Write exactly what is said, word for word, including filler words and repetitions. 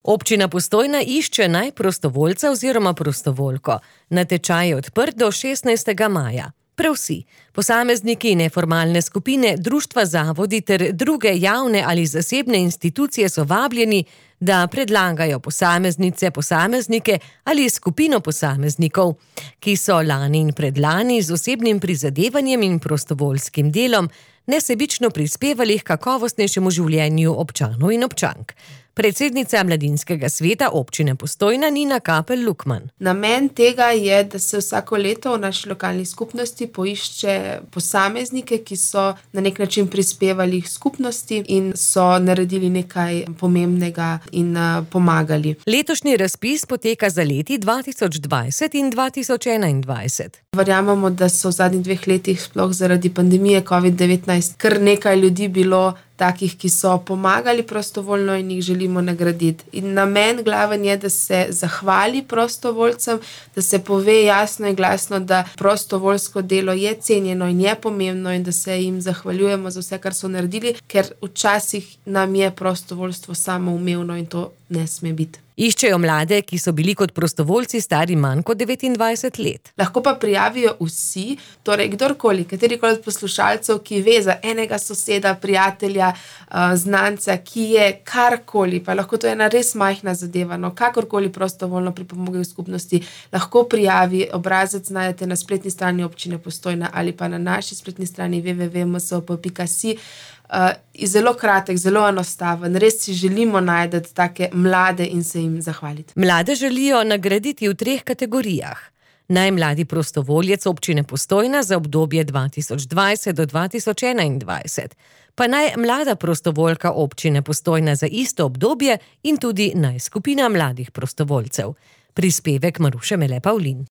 Občina Postojna išče naj prostovoljca oziroma prostovoljko. Natečaj je odprt do šestnajstega maja. Prav vsi, posamezniki, neformalne skupine, društva, zavodi ter druge javne ali zasebne institucije so vabljeni, da predlagajo posameznice, posameznike ali skupino posameznikov, ki so lani in predlani z osebnim prizadevanjem in prostovoljskim delom nesebično prispevali k kakovostnejšemu življenju občanov in občank. Predsednica mladinskega sveta občine Postojna Nina Kapelj Lukman. Namen tega je, da se vsako leto v naši lokalni skupnosti poišče posameznike, ki so na nek način prispevali k skupnosti in so naredili nekaj pomembnega in uh, pomagali. Letošnji razpis poteka za leti dva tisoč dvajset in dva tisoč enaindvajset. Verjamemo, da so v zadnjih dveh letih sploh zaradi pandemije covid devetnajst kar nekaj ljudi bilo takih, ki so pomagali prostovoljno in jih želimo nagraditi. In namen glaven je, da se zahvali prostovoljcem, da se pove jasno in glasno, da prostovoljsko delo je cenjeno in je pomembno in da se jim zahvaljujemo za vse, kar so naredili, ker včasih nam je prostovoljstvo samoumevno in to ne sme biti. Iščejo mlade, ki so bili kot prostovoljci stari manj kot devetindvajset let. Lahko pa prijavijo vsi, torej kdorkoli, katerikoli od poslušalcev, ki ve za enega soseda, prijatelja, znanca, ki je karkoli, pa lahko to je ena res majhna zadeva, no kakorkoli prostovoljno pripomogel v skupnosti, lahko prijavi, obrazec najdete na spletni strani občine Postojna ali pa na naši spletni strani w w w pika m s o p pika si. Uh, zelo kratek, zelo enostaven. Res si želimo najti take mlade in se jim zahvaliti. Mlade želijo nagraditi v treh kategorijah. Najmladi prostovoljec občine Postojna za obdobje dva tisoč dvajset do dva tisoč enaindvajset, pa naj mlada prostovoljka občine Postojna za isto obdobje in tudi naj skupina mladih prostovoljcev. Prispevek Maruše Mele Pavlin.